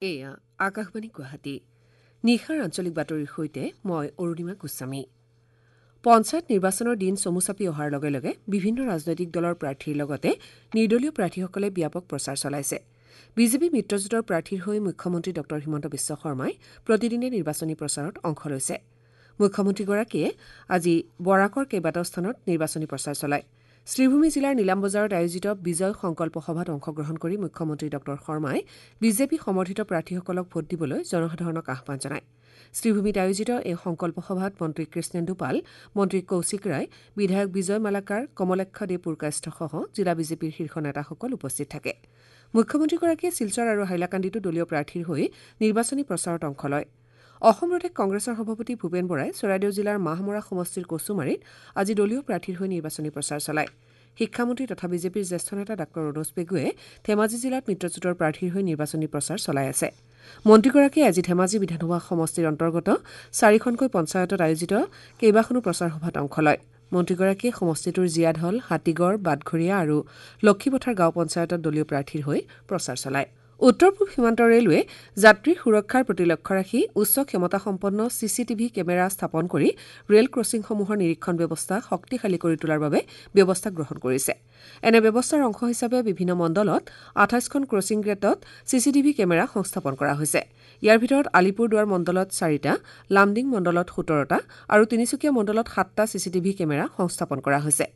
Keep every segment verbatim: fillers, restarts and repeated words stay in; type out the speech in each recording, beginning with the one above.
এয়া আকাশবাণী গুৱাহাটী। নিশাৰ আঞ্চলিক বাতৰিৰ সৈতে মই অৰুণিমা গোস্বামী। পঞ্চায়ত নিৰ্বাচনৰ দিন চমু চাপি অহাৰ লগে লগে বিভিন্ন ৰাজনৈতিক দলৰ প্ৰাৰ্থীৰ লগতে নিৰ্দলীয় প্ৰাৰ্থীসকলে ব্যাপক প্ৰচাৰ চলাইছে। বিজেপি মিত্ৰজোঁটৰ প্ৰাৰ্থীৰ হৈ মুখ্যমন্ত্ৰী ডঃ হিমন্ত বিশ্ব শৰ্মাই প্ৰতিদিনে নিৰ্বাচনী প্ৰচাৰত অংশ লৈছে। মুখ্যমন্ত্ৰীগৰাকীয়ে আজি বৰাকৰ কেইবাটাও স্থানত নিৰ্বাচনী প্ৰচাৰ চলায়। শ্ৰীভূমি জিলাৰ নিলাম বজাৰত আয়োজিত বিজয় সংকল্প সভাত অংশগ্ৰহণ কৰি মুখ্যমন্ত্ৰী ডঃ শৰ্মাই বিজেপি সমৰ্থিত প্ৰাৰ্থীসকলক ভোট দিবলৈ জনসাধাৰণক আহ্বান জনায়। শ্ৰীভূমিত আয়োজিত এই সংকল্প সভাত মন্ত্ৰী কৃষ্ণেন্দু পাল, মন্ত্ৰী কৌশিক ৰায়, বিধায়ক বিজয় মালাকাৰ, কমলাক্ষ দে পুৰকায়স্থসহ জিলা বিজেপিৰ শীৰ্ষ নেতাসকল উপস্থিত থাকে। মুখ্যমন্ত্ৰীগৰাকীয়ে শিলচৰ আৰু হাইলাকান্দিতো দলীয় প্ৰাৰ্থীৰ হৈ নিৰ্বাচনী প্ৰচাৰত অংশ লয়। অসম প্ৰদেশ কংগ্ৰেছৰ সভাপতি ভূপেন বৰাই চৰাইদেউ জিলাৰ মাহমৰা সমষ্টিৰ কচুমাৰীত আজি দলীয় প্ৰাৰ্থীৰ হৈ নিৰ্বাচনী প্ৰচাৰ চলায়। শিক্ষামন্ত্ৰী তথা বিজেপিৰ জ্যেষ্ঠ নেতা ডাঃ ৰণোজ পেগুৱে ধেমাজি জিলাত মিত্ৰজোঁটৰ প্ৰাৰ্থীৰ হৈ নিৰ্বাচনী প্ৰচাৰ চলাই আছে। মন্ত্ৰীগৰাকীয়ে আজি ধেমাজি বিধানসভা সমষ্টিৰ অন্তৰ্গত চাৰিখনকৈ পঞ্চায়তত আয়োজিত কেইবাখনো প্ৰচাৰ সভাত অংশ লয়। মন্ত্ৰীগৰাকীয়ে সমষ্টিটোৰ জীয়াঢল, হাতীগড়, বাটঘৰীয়া আৰু লক্ষীপথাৰ গাঁও পঞ্চায়তত দলীয় প্ৰাৰ্থীৰ হৈ প্ৰচাৰ চলায়। উত্তৰ পূব সীমান্ত ৰেলৱে যাত্ৰীৰ সুৰক্ষাৰ প্ৰতি লক্ষ্য ৰাখি উচ্চ ক্ষমতাসম্পন্ন চি চি টিভি কেমেৰা স্থাপন কৰি ৰেল ক্ৰছিংসমূহৰ নিৰীক্ষণ ব্যৱস্থা শক্তিশালী কৰি তোলাৰ বাবে ব্যৱস্থা গ্ৰহণ কৰিছে। এনে ব্যৱস্থাৰ অংশ হিচাপে বিভিন্ন মণ্ডলত আঠাইছখন ক্ৰছিং গেটত চি চি টিভি কেমেৰা সংস্থাপন কৰা হৈছে। ইয়াৰ ভিতৰত আলিপুৰদুৱাৰ মণ্ডলত চাৰিটা, লামডিং মণ্ডলত সোতৰটা আৰু তিনিচুকীয়া মণ্ডলত সাতটা চি চি টিভি কেমেৰা সংস্থাপন কৰা হৈছে।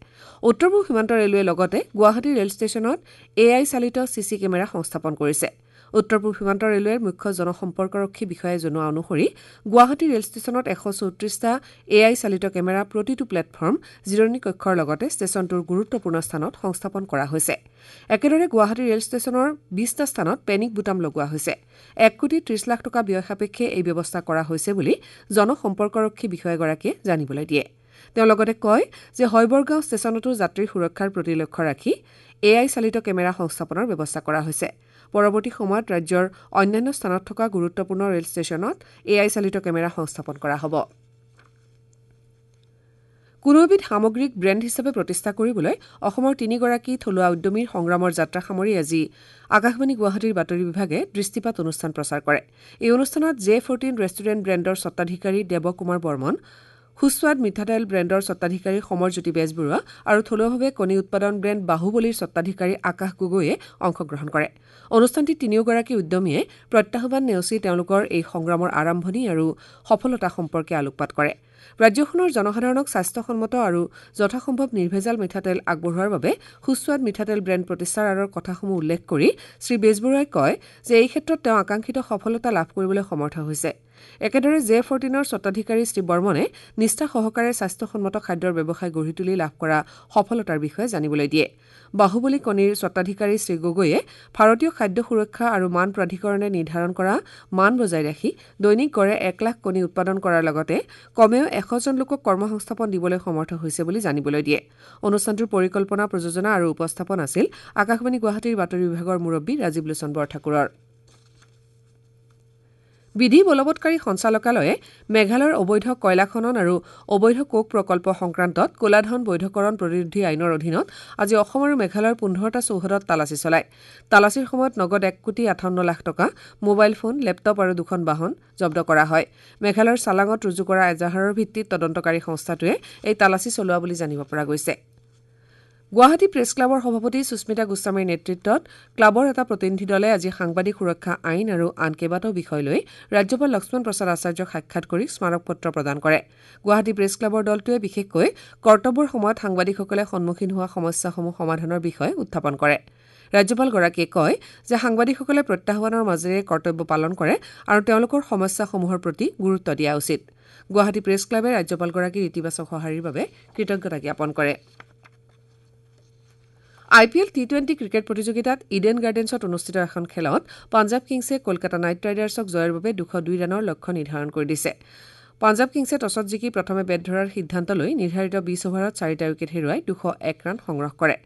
উত্তৰ পূব সীমান্ত ৰেলৱে লগতে গুৱাহাটী ৰেল ষ্টেচনত এ I চালিত চি চি কেমেৰা সংস্থাপন কৰিছে। উত্তৰ পূব সীমান্ত ৰেলৱেৰ মুখ্য জনসম্পৰ্কৰক্ষী বিষয়াই জনোৱা অনুসৰি গুৱাহাটী ৰেল ষ্টেচনত এশ চৌত্ৰিছটা এ I চালিত কেমেৰা প্ৰতিটো প্লেটফৰ্ম, জিৰণি কক্ষৰ লগতে ষ্টেচনটোৰ গুৰুত্বপূৰ্ণ স্থানত সংস্থাপন কৰা হৈছে। একেদৰে গুৱাহাটী ৰেল ষ্টেচনৰ বিছটা স্থানত পেনিক বুটাম লগোৱা হৈছে। এক কোটি ত্ৰিছ লাখ টকা ব্যয় সাপেক্ষে এই ব্যৱস্থা কৰা হৈছে বুলি জনসম্পৰ্কৰক্ষী বিষয়াগৰাকীয়ে জানিবলৈ দিয়ে। তেওঁ লগতে কয় যে হয়বৰগাঁও ষ্টেচনতো যাত্ৰীৰ সুৰক্ষাৰ প্ৰতি লক্ষ্য ৰাখি এ I চালিত কেমেৰা সংস্থাপনৰ ব্যৱস্থা কৰা হৈছে। পৰৱৰ্তী সময়ত ৰাজ্যৰ অন্যান্য স্থানত থকা গুৰুত্বপূৰ্ণ ৰেল ষ্টেচনত এ I চালিত কেমেৰা সংস্থাপন কৰা হ'ব। কোনো এবিধ সামগ্ৰীক ব্ৰেণ্ড হিচাপে প্ৰতিষ্ঠা কৰিবলৈ অসমৰ তিনিগৰাকী থলুৱা উদ্যমীৰ সংগ্ৰামৰ যাত্ৰা সামৰি আজি আকাশবাণী গুৱাহাটীৰ বাতৰি বিভাগে দৃষ্টিপাত অনুষ্ঠান প্ৰচাৰ কৰে। এই অনুষ্ঠানত জে ফৰ্টিন ৰেষ্টুৰেণ্ট ব্ৰেণ্ডৰ স্বত্বাধিকাৰী দেৱ কুমাৰ বৰ্মন, সুস্বাদ মিঠাতেল ব্ৰেণ্ডৰ স্বত্বাধিকাৰী সমৰজ্যোতি বেজবৰুৱা আৰু থলুৱাভাৱে কণী উৎপাদন ব্ৰেণ্ড বাহুবলীৰ স্বত্বাধিকাৰী আকাশ গগৈয়ে অংশগ্ৰহণ কৰে। অনুষ্ঠানটিত তিনিওগৰাকী উদ্যমীয়ে প্ৰত্যাহ্বান নেওচি তেওঁলোকৰ এই সংগ্ৰামৰ আৰম্ভণি আৰু সফলতা সম্পৰ্কে আলোকপাত কৰে। ৰাজ্যখনৰ জনসাধাৰণক স্বাস্থ্যসন্মত আৰু যথাসম্ভৱ নিৰ্ভেজাল মিঠাতেল আগবঢ়োৱাৰ বাবে সুস্বাদ মিঠাতেল ব্ৰেণ্ড প্ৰতিষ্ঠাৰ আঁৰৰ কথাসমূহ উল্লেখ কৰি শ্ৰী বেজবৰুৱাই কয় যে এই ক্ষেত্ৰত তেওঁ আকাংক্ষিত সফলতা লাভ কৰিবলৈ সমৰ্থ হৈছে। একেদৰে জে ফৰ্টিনৰ স্বত্বাধিকাৰী শ্ৰী বৰ্মনে নিষ্ঠা সহকাৰে স্বাস্থ্যসন্মত খাদ্যৰ ব্যৱসায় গঢ়ি তুলি লাভ কৰা সফলতাৰ বিষয়ে জানিবলৈ দিয়ে। বাহুবলী কণীৰ স্বত্বাধিকাৰী শ্ৰী গগৈয়ে ভাৰতীয় খাদ্য সুৰক্ষা আৰু মান প্ৰাধিকৰণে নিৰ্ধাৰণ কৰা মান বজাই ৰাখি দৈনিক গড়ে এক লাখ কণী উৎপাদন কৰাৰ লগতে কমেও এশজন লোকক কৰ্মসংস্থাপন দিবলৈ সমৰ্থ হৈছে বুলি জানিবলৈ দিয়ে। অনুষ্ঠানটোৰ পৰিকল্পনা, প্ৰযোজনা আৰু উপস্থাপন আছিল আকাশবাণী গুৱাহাটীৰ বাতৰি বিভাগৰ মুৰব্বী ৰাজীৱ লোচন বৰঠাকুৰৰ। বিধি বলবৎকাৰী সঞ্চালকালয়ে মেঘালয়ৰ অবৈধ কয়লা খনন আৰু অবৈধ কোক প্ৰকল্প সংক্ৰান্তত ক'লাধন বৈধকৰণ প্ৰতিৰোধী আইনৰ অধীনত আজি অসম আৰু মেঘালয়ৰ পোন্ধৰটা চৌহদত তালাচী চলায়। তালাচীৰ সময়ত নগদ এক কোটি আঠাৱন্ন লাখ টকা, মোবাইল ফোন, লেপটপ আৰু দুখন বাহন জব্দ কৰা হয়। মেঘালয়ৰ চালাঙত ৰুজু কৰা এজাহাৰৰ ভিত্তিত তদন্তকাৰী সংস্থাটোৱে এই তালাচী চলোৱা বুলি জানিব পৰা গৈছে। গুৱাহাটী প্ৰেছ ক্লাবৰ সভাপতি সুস্মিতা গোস্বামীৰ নেতৃত্বত ক্লাবৰ এটা প্ৰতিনিধি দলে আজি সাংবাদিক সুৰক্ষা আইন আৰু আন কেইবাটাও বিষয় লৈ ৰাজ্যপাল লক্ষ্মণ প্ৰসাদ আচাৰ্যক সাক্ষাৎ কৰি স্মাৰকপত্ৰ প্ৰদান কৰে। গুৱাহাটী প্ৰেছ ক্লাবৰ দলটোৱে বিশেষকৈ কৰ্তব্যৰ সময়ত সাংবাদিকসকলে সন্মুখীন হোৱা সমস্যাসমূহ সমাধানৰ বিষয়ে উত্থাপন কৰে। ৰাজ্যপালগৰাকীয়ে কয় যে সাংবাদিকসকলে প্ৰত্যাহ্বানৰ মাজেৰে কৰ্তব্য পালন কৰে আৰু তেওঁলোকৰ সমস্যাসমূহৰ প্ৰতি গুৰুত্ব দিয়া উচিত। গুৱাহাটী প্ৰেছ ক্লাবে ৰাজ্যপালগৰাকীৰ ইতিবাচক সঁহাৰিৰ বাবে কৃতজ্ঞতা জ্ঞাপন কৰে। I P L T twenty cricket প্ৰতিযোগিতাত ইডেন গাৰ্ডেন্সত অনুষ্ঠিত এখন খেলত পাঞ্জাৱ কিংছে কলকাতা নাইট ৰাইডাৰ্ছক জয়ৰ বাবে দুশ দুই ৰানৰ লক্ষ্য নিৰ্ধাৰণ কৰি দিছে। পাঞ্জাৱ কিংছে টছত জিকি প্ৰথমে বেট ধৰাৰ সিদ্ধান্ত লৈ নিৰ্ধাৰিত বিছ অভাৰত চাৰিটা উইকেট হেৰুৱাই দুশ এক ৰান সংগ্ৰহ কৰে।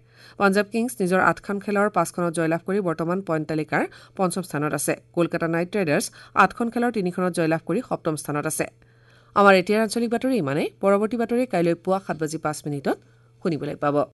পাঞ্জাৱ কিংছ নিজৰ আঠখন খেলৰ পাঁচখনত জয়লাভ কৰি বৰ্তমান পইণ্ট তালিকাৰ পঞ্চম স্থানত আছে। কলকাতা নাইট ৰাইডাৰ্ছ আঠখন খেলৰ তিনিখনত জয়লাভ কৰি সপ্তম স্থানত আছে। আমাৰ এতিয়াৰ আঞ্চলিক বাতৰি ইমানেই। পৰৱৰ্তী বাতৰি কাইলৈ পুৱা সাত বাজি পাঁচ মিনিটত শুনিবলৈ পাব।